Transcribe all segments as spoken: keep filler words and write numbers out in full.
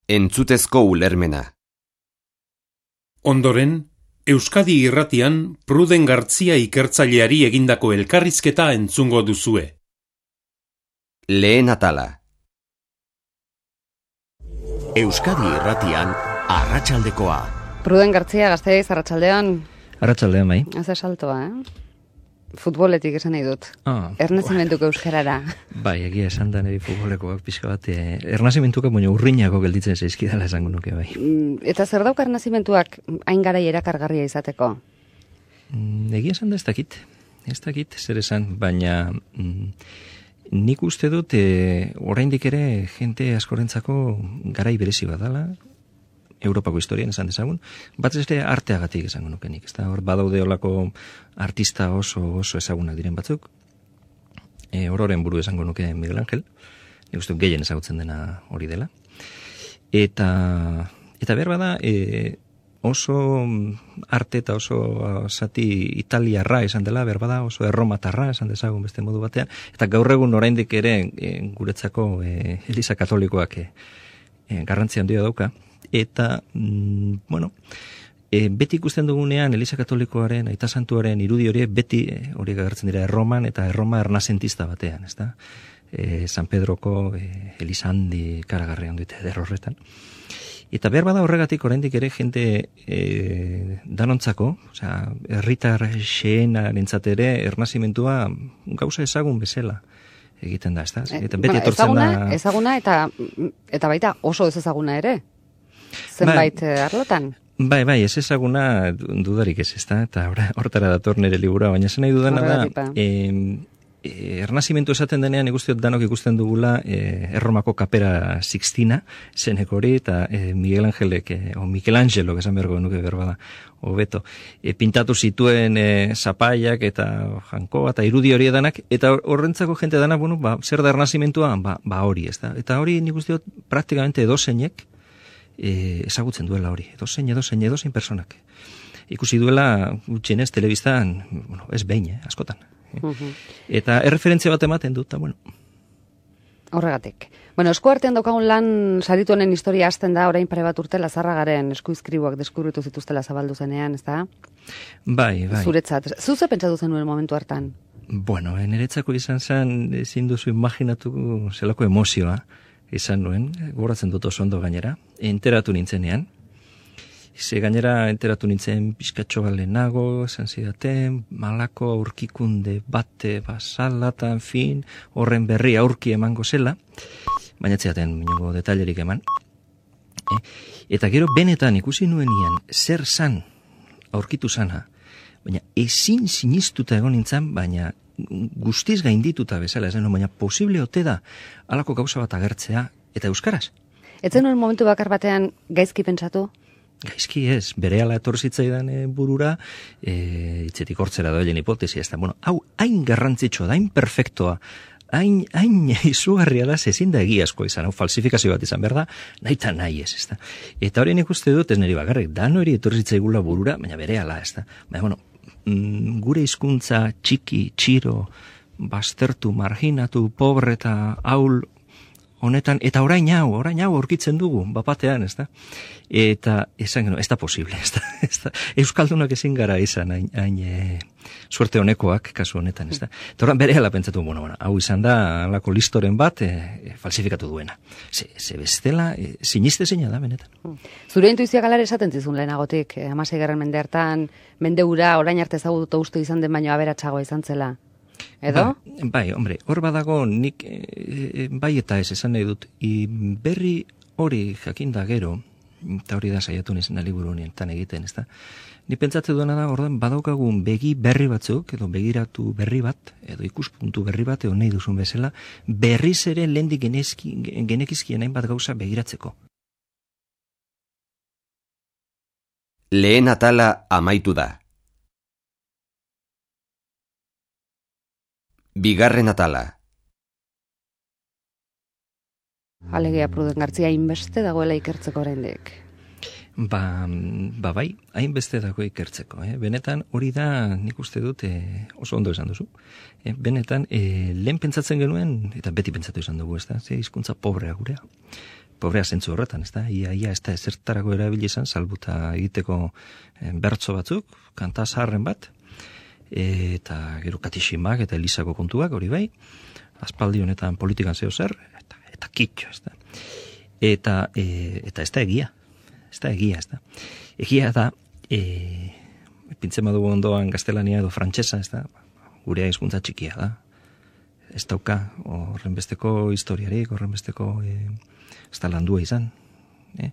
Entzutezko ulermena. Ondoren, Euskadi Irratian Pruden Gartzia ikertzaileari egindako elkarrizketa entzungo duzue. Lehen atala. Euskadi Irratian Arratsaldekoa. Pruden Gartzia, Gasteiz, arratsaldean. Arratsaldean bai. Haze saltoa, eh? Futboletik esan nahi dut. Ah, Ernazimentuko euskarara. Bai, egia esan da niri futbolekoak pixka bat. Eh, ernazimentuko baina urrinako gelditzen zaizkidala esango nuke bai. Eta zer dauka ernazimentuak hain garai erakargarria izateko? Mm, egia esan da ez dakit. Ez dakit zer esan, baina mm, nik uste dut eh, oraindik ere jente askorentzako garai berezi badala, Europako historian esan dezagun, bat ez ere arteagatik esango nuke nik. Ezta hor badaude olako artista oso oso ezagunak diren batzuk. E, ororen buru esango nuke Miguel Ángel. Nik uste gehien ezagutzen dena hori dela. Eta eta behar bada e, oso arte eta oso zati italiarra esan dela, behar bada oso erromatarra esan dezagun beste modu batean. Eta gaur egun oraindik ere e, guretzako e, Eliza Katolikoak e, e, garrantzi handia dauka. Eta, mm, bueno, e, beti ikusten dugunean Eliza Katolikoaren, Aita Santuaren irudi hori beti e, horiek agertzen dira Erroman eta Erroma ernazentista batean, ezta? E, San Pedroko e, Eliza handi karagarrian dute eder horretan. Eta behar bada horregatik oraindik ere jente e, danontzako, osea, herritar xeenarentzat ere ernazimentua gauza ezagun bezala egiten da, ezta? Eta beti etortzen ezaguna, da... Ezaguna eta, eta baita oso ez ezaguna ere. Zenbait bai, arlotan. Bai, bai, ez ezaguna dudarik ez, ezta? Eta hortara dator nire liburua, baina zen nahi dudana da, e, e, ernazimentu esaten denean ikustiot danok ikusten dugula e, Erromako kapera Sixtina, zeneko hori, eta e, Miguel Angelek, e, o Michelangelo, esan beharko nuke berbada, hobeto, e, pintatu zituen e, zapaiak eta jankoa eta irudi hori edanak, eta horrentzako jente dana, bueno, ba, zer da ernazimentua, ba, ba hori, ezta? Eta hori nik usteot praktikamente edozeinek, E, ezagutzen duela hori, edozein, edozein, edozein personak. Ikusi duela gutxienez telebistan, bueno, ez behin, eh, askotan. Eh? Uh-huh. Eta erreferentzia bat ematen dut, bueno. Horregatik. Bueno, esku artean daukagun lan saritu honen historia hasten da, orain pare bat urte Lazarragaren eskuizkribuak deskubritu zituztela zabaldu zenean, ez da? Bai, bai. Zuretzat, zuze pentsatu zenuen momentu hartan? Bueno, niretzako izan zen, ezin duzu imaginatu zelako emozioa, izan nuen, goratzen dut oso ondo gainera, enteratu nintzenean. Ze gainera enteratu nintzen pizkatxo balenago, esan zidaten, malako aurkikunde bate basalatan, fin, horren berri aurki emango zela, baina etziaten minungo detailerik eman. E, eta gero benetan ikusi nuenian zer zan aurkitu zana, baina ezin sinistuta egon nintzen, baina guztiz gaindituta bezala, esan, baina posible ote da halako gauza bat agertzea, eta euskaraz. Etzen nuen momentu bakar batean gaizki pentsatu? Gaizki ez, berehala etorzitzaidan e, burura, e, itzetik hortzera doelen hipotesi, ez da, bueno, hau, hain garrantzitsua, hain perfektoa, hain, hain izugarria da, ezin da egiazkoa izan, hau falsifikazio bat izan, berda, nahi eta nahi ez, ez da. Eta horien ikuste dut, ez niri bakarrik, dano eri etortzitzaigula burura, baina berehala, ez da. Baina, bueno, gure hizkuntza txiki, txiro, baztertu, marginatu, pobre eta haul honetan, eta orain hau, orain hau aurkitzen dugu, bapatean, ez da? Eta, esan, ez da posible, ez da? Ez da? Euskaldunak ezin gara izan, hain, hain e, suerte honekoak, kasu honetan, ez da? Eta orain berehala pentsatu, bueno, bueno, hau izan da, alako listoren bat, e, falsifikatu duena. Ze, ze bestela, e, siniste zeina da, benetan. Zure intuizioa galar esaten zizun lehenagotik, eh, hamaseigarren mende hartan, mende ura, orain arte ezagutu uste izan den baino aberatsagoa izan zela. Edo? Ba, bai, hombre, hor badago nik e, bai eta ez esan nahi dut, I, berri hori jakinda gero, eta hori da saiatu nizena liburu honetan egiten, ez da? Ni pentsatze duena da, ordan badaukagun begi berri batzuk, edo begiratu berri bat, edo ikuspuntu berri bat, edo nahi duzun bezala, berriz ere lehendik genekizkien hainbat gauza begiratzeko. Lehen atala amaitu da. Bigarren atala. Alegia Pruden Gartzia hainbeste dagoela ikertzeko oraindik. Ba, ba bai, hainbeste dago ikertzeko. Eh? Benetan hori da nik uste dut eh, oso ondo esan duzu. Eh, benetan eh, lehen pentsatzen genuen, eta beti pentsatu izan dugu, ez da, ze hizkuntza pobrea gurea. pobrea zentzu horretan, ez da? Ia, ia, ez da ezertarako erabili izan, salbuta egiteko eh, bertso batzuk, kanta zaharren bat, eta gero katiximak eta elizako kontuak, hori bai, aspaldi honetan politikan zeo zer, eta, eta kitxo, ez da. Eta, e, eta ez da egia, ez da egia, ez da. Egia da, e, pintzen badugu ondoan gaztelania edo frantsesa, ez da, gurea hizkuntza txikia da. Ez dauka, horrenbesteko historiarik, horrenbesteko, e, ez da landua izan. E?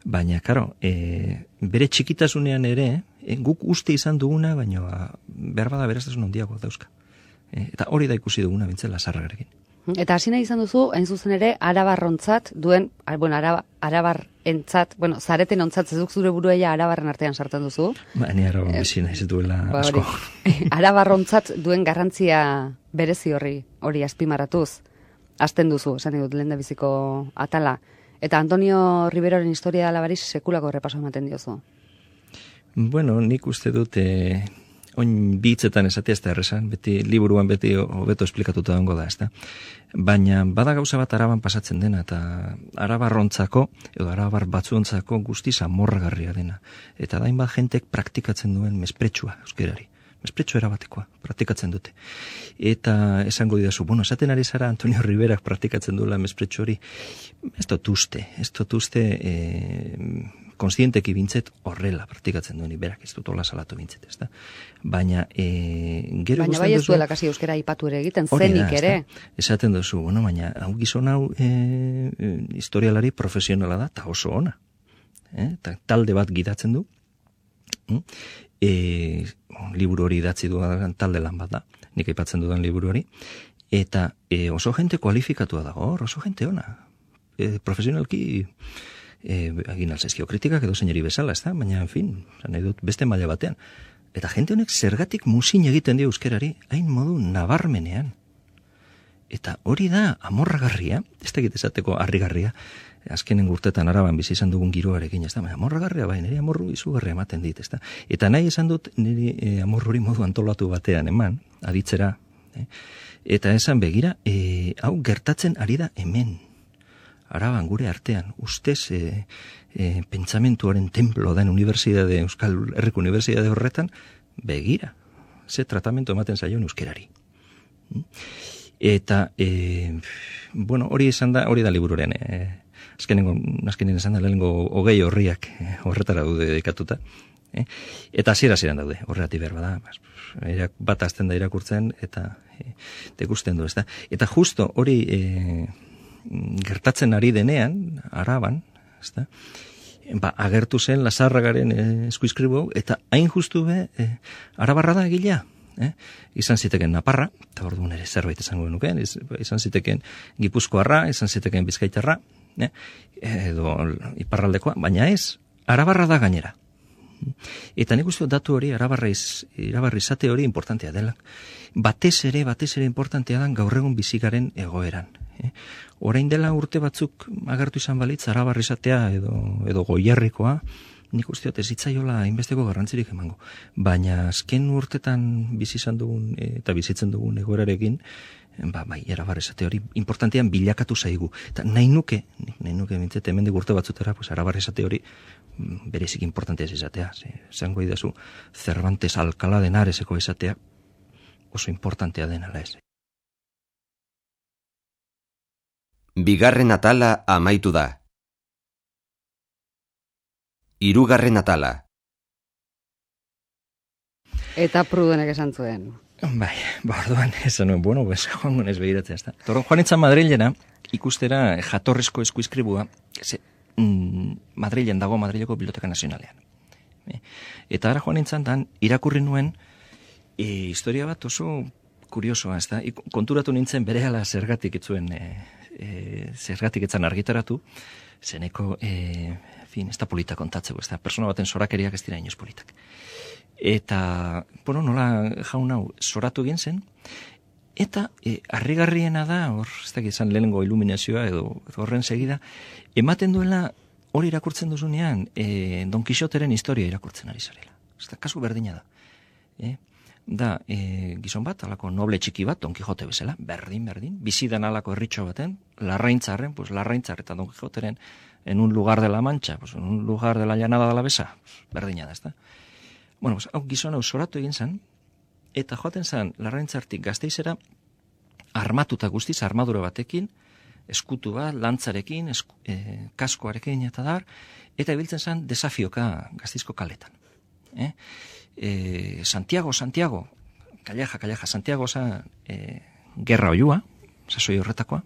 Baina, karo, e, bere txikitasunean ere, e, guk uste izan duguna, baina behar bada beraztasun handiago dauzka. E, eta hori da ikusi duguna bintzela Zarragarekin. Eta hasi nahi izan duzu, hain zuzen ere, arabarrontzat duen, bueno, araba, arabarrentzat, bueno, zareten ontzat zezuk zure buruela arabarren artean sartzen duzu. Ba, ni araban bizi nahi zituela ba, asko. Arabarrontzat duen garrantzia berezi horri, hori azpimarratuz, hasten duzu, esan dut lehen da biziko atala. Eta Antonio Riveroren historia alabariz sekulako errepaso ematen diozu. Bueno, nik uste dut, eh, oin bitzetan esatea ez da errezan, beti, liburuan beti hobeto esplikatuta dongo da, ez da. Baina bada gauza bat araban pasatzen dena, eta arabarrontzako, edo arabar batzuontzako guztiz amorragarria dena. Eta dain bat jentek praktikatzen duen mespretsua euskerari. Mespretxo erabatekoa, praktikatzen dute. Eta esango didazu, bueno, esaten ari zara Antonio Riverak praktikatzen duela mespretxo hori, ez dut uste, ez dut uste e, konstienteki bintzet horrela praktikatzen duen, berak ez dut hola salatu bintzet, ez da? Baina, e, gero baina bai ez duela kasi euskera aipatu ere egiten, zenik da, ere. Esaten duzu, bueno, baina, hau gizon hau e, historialari profesionala da, eta oso ona. Eh? Ta, talde bat gidatzen du, mm? E, liburu hori idatzi dudan talde lan bat da, nik aipatzen dudan liburu hori, eta e, oso jente kualifikatua dago, oso jente ona. E, profesionalki e, egin alzaizkio kritikak edo zeinari bezala, ez da? Baina, en fin, nahi dut beste maila batean. Eta jente honek zergatik muzin egiten dio euskerari, hain modu nabarmenean. Eta hori da amorragarria, ez da esateko harrigarria, azkenen urtetan Araban bizi izan dugun giroarekin, ez da, amorragarria bai, niri amorru izugarria ematen dit, ez da. Eta nahi esan dut niri e, amorru hori modu antolatu batean eman, aditzera, eh? Eta esan begira, e, hau gertatzen ari da hemen, Araban gure artean, ustez e, e, pentsamentuaren templo den unibertsitate, Euskal Herriko unibertsitate horretan, begira, ze tratamentu ematen zaion euskerari. Eta, e, bueno, hori esan da, hori da liburuaren, e, azkenengo, azkenengo esan da, lehenengo hogei horriak eh, horretara daude dedikatuta. Eh? Eta hasiera hasieran daude, horregatik behar bada, bat azten da irakurtzen, eta eh, dekusten du, ez da. Eta justo hori eh, gertatzen ari denean, Araban, ez da, ba, agertu zen Lazarragaren eh, eskuizkribu, eta hain justu be, eh, arabarra da egilea. Eh? Izan ziteken Naparra, eta orduan ere zerbait esango genuken, izan ziteken Gipuzkoarra, izan ziteken Bizkaitarra, eh? Edo iparraldekoa, baina ez, arabarra da gainera. Eta nik uste datu hori, arabarra iz, arabarra izate hori importantea dela. Batez ere, batez ere importantea da gaur egun bizikaren egoeran. Eh? Orain dela urte batzuk agertu izan balitz, arabarra izatea edo, edo goierrikoa, nik uste dut ez hitzaiola inbesteko garrantzirik emango. Baina azken urtetan bizi izan dugun eta bizitzen dugun egoerarekin, ba, bai, arabar esate hori importantean bilakatu zaigu. Eta nahi nuke, nahi nuke bintzete hemendik urte batzutera, pues, arabar esate hori berezik importantea ez izatea. Zango idazu, Cervantes Alcalá de Henareseko esatea oso importantea denala ez. Bigarren atala amaitu da. Hirugarren atala. Eta Prudenek esan zuen. Bai, ba, orduan, esan nuen, bueno, pues, joan gonez behiratzea, ez da. Torron, joan itzan Madrilena, ikustera jatorrezko eskuizkribua, ze, mm, Madrilen dago, Madrileko Biblioteka Nazionalean. E, eta ara joan itzan, dan, irakurri nuen, e, historia bat oso kuriosoa, ez da. I, konturatu nintzen berehala zergatik itzuen, e, e, zergatik etzan argitaratu, zeneko, e, fin, ez da polita kontatzeko, ez da, persona baten zorakeriak ez dira inoz politak. Eta, bueno, nola jaun hau zoratu egin zen, eta e, harrigarriena da, hor, ez da, izan lehenengo iluminazioa edo horren segida, ematen duela hori irakurtzen duzunean, e, Don Quixoteren historia irakurtzen ari zarela. Ez da, kasu berdina da. E? da e, gizon bat, alako noble txiki bat, Don Kijote bezala, berdin, berdin, bizidan alako herritxo baten, larraintzarren, pues larraintzar eta Don Quijoteren en un lugar de la Mancha, pues en un lugar de la llanada de la Besa, pues, berdina da, ezta. Bueno, pues, hau gizon hau zoratu egin zen, eta joaten zen larraintzartik Gasteizera, armatuta guztiz, armadura batekin, eskutu bat, lantzarekin, esku, e, kaskoarekin eta dar, eta ibiltzen zen desafioka Gasteizko kaletan. Eh? E, Santiago, Santiago, Calleja, Calleja, Santiago zen e, gerra oiua, sasoi horretakoa,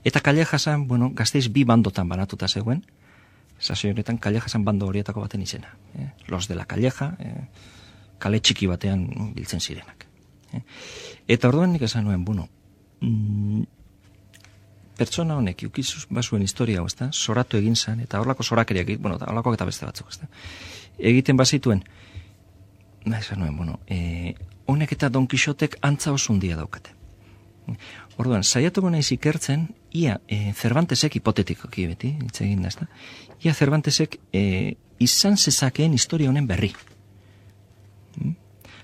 eta Calleja zen, bueno, Gasteiz bi bandotan banatuta zegoen, sasoi horretan Calleja zen bando horietako baten izena. Eh? Los de la Calleja, eh, kale txiki batean biltzen zirenak. Eh? Eta orduan nik esan nuen, bueno, mm, pertsona honek ukizuz basuen historia hau, ezta? Zoratu egin zen, eta horlako zorakeriak, bueno, horlakoak eta beste batzuk, ezta? Egiten bazituen, esan nuen, bueno, e, honek eta Don Quixotek antza oso hundia daukate. Orduan, saiatuko naiz ikertzen, ia e, Cervantesek hipotetikoki beti, hitz egin da, ezta? Ia Cervantesek e, izan zezakeen historia honen berri. Hmm?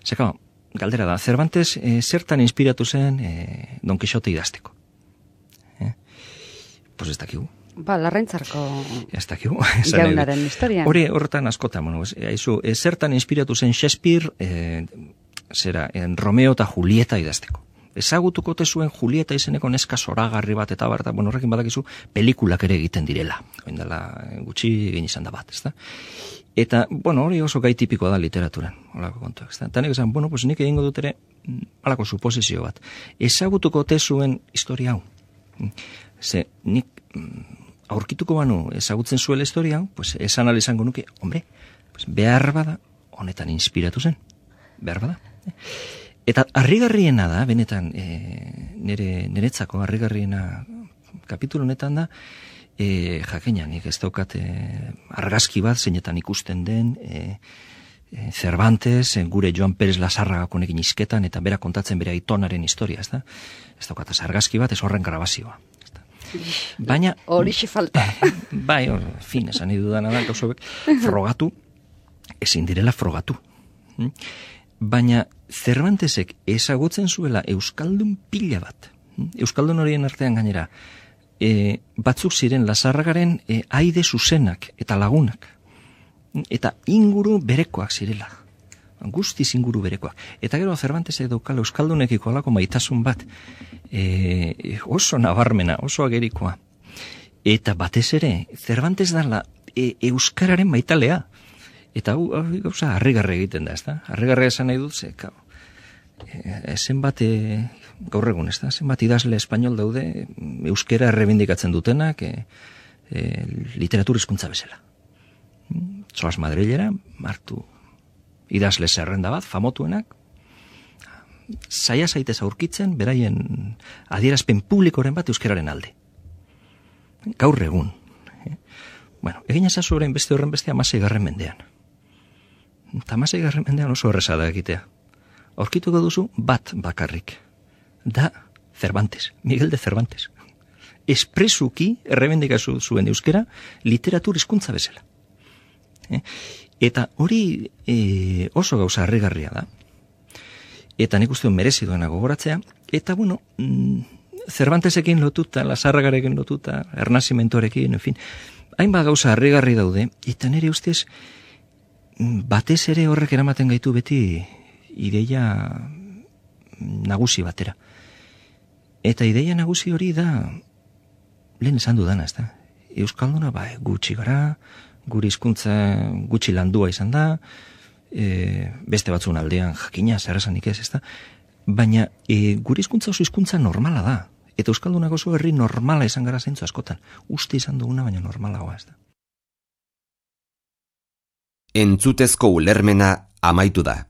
Zeka, galdera da, Cervantes e, zertan inspiratu zen e, Don Quixote idazteko. Eh? Pues ez dakigu. Ba, larraintzarko ez dakigu. jaunaren historia. Hori horretan askotan, bueno, haizu, e, zertan inspiratu zen Shakespeare, e, zera, en Romeo eta Julieta idazteko. Ezagutuko te zuen Julieta izeneko neska zoragarri bat eta bar, eta bueno, horrekin badakizu pelikulak ere egiten direla. Oindala gutxi egin izan da bat, ezta? Eta, bueno, hori oso gai tipikoa da literaturan, holako kontuak, ezta? Eta nik esan, bueno, pues nik egingo dut ere halako suposizio bat. Ezagutuko te zuen historia hau. Ze, nik aurkituko banu ezagutzen zuela historia hau, pues esan ala izango nuke, hombre, pues behar bada honetan inspiratu zen. Behar bada. Eta harrigarriena da, benetan, e, nire, niretzako harrigarriena kapitulu honetan da, e, jakina, nik ez daukat e, argazki bat zeinetan ikusten den, e, e, Cervantes, e, gure Joan Pérez Lasarragako nekin izketan, eta bera kontatzen bere aitonaren historia, ez da? Ez daukat argazki bat, ez horren grabazioa. Baina... Horixe falta. Bai, hor, fin, esan idu dana da, gauzobek, frogatu, ezin direla frogatu. Baina Cervantesek ezagutzen zuela euskaldun pila bat. Euskaldun horien artean gainera, e, batzuk ziren Lasarragaren e, aide zuzenak eta lagunak. Eta inguru berekoak zirela. Guztiz inguru berekoak. Eta gero Cervantesek daukala euskaldunekiko alako maitasun bat, e, oso nabarmena, oso agerikoa. Eta batez ere, Cervantes dala e, euskararen maitalea. Eta hau, gauza, harrigarri egiten da, ezta? Harrigarri esan nahi dut, ze, kau, e, zenbat, e, gaur egun, ezta? Zenbat idazle espainol daude, euskera errebindikatzen dutenak, e, e, literatur hizkuntza bezala. Zoaz Madrilera, martu idazle zerrenda bat, famotuenak, saia zaitez aurkitzen, beraien adierazpen publikoren bat euskeraren alde. Gaur egun. Eh? Bueno, egin ezazu orain beste horren beste amasei garren mendean. Eta amasei garren mendean oso erreza da egitea. Aurkituko duzu bat bakarrik. Da Cervantes, Miguel de Cervantes. Espresuki errebendikazu zuen euskera literatur hizkuntza bezala. Eh? Eta hori e, oso gauza harrigarria da. Eta nik uste merezi duena gogoratzea. Eta bueno, mm, Cervantesekin lotuta, Lasarragarekin lotuta, Ernazimentoarekin, en fin, hainbat gauza harrigarri daude, eta nire ustez batez ere horrek eramaten gaitu beti ideia nagusi batera. Eta ideia nagusi hori da, lehen esan dudana, ez da? Euskalduna, ba, gutxi gara, guri hizkuntza gutxi landua izan da, e, beste batzun aldean jakina, zer esanik ez, ez da? Baina e, guri hizkuntza oso hizkuntza normala da. Eta euskaldunak oso herri normala izan gara zeintzu askotan. Uste izan duguna, baina normalagoa ez da. Entzutezko ulermena amaitu da.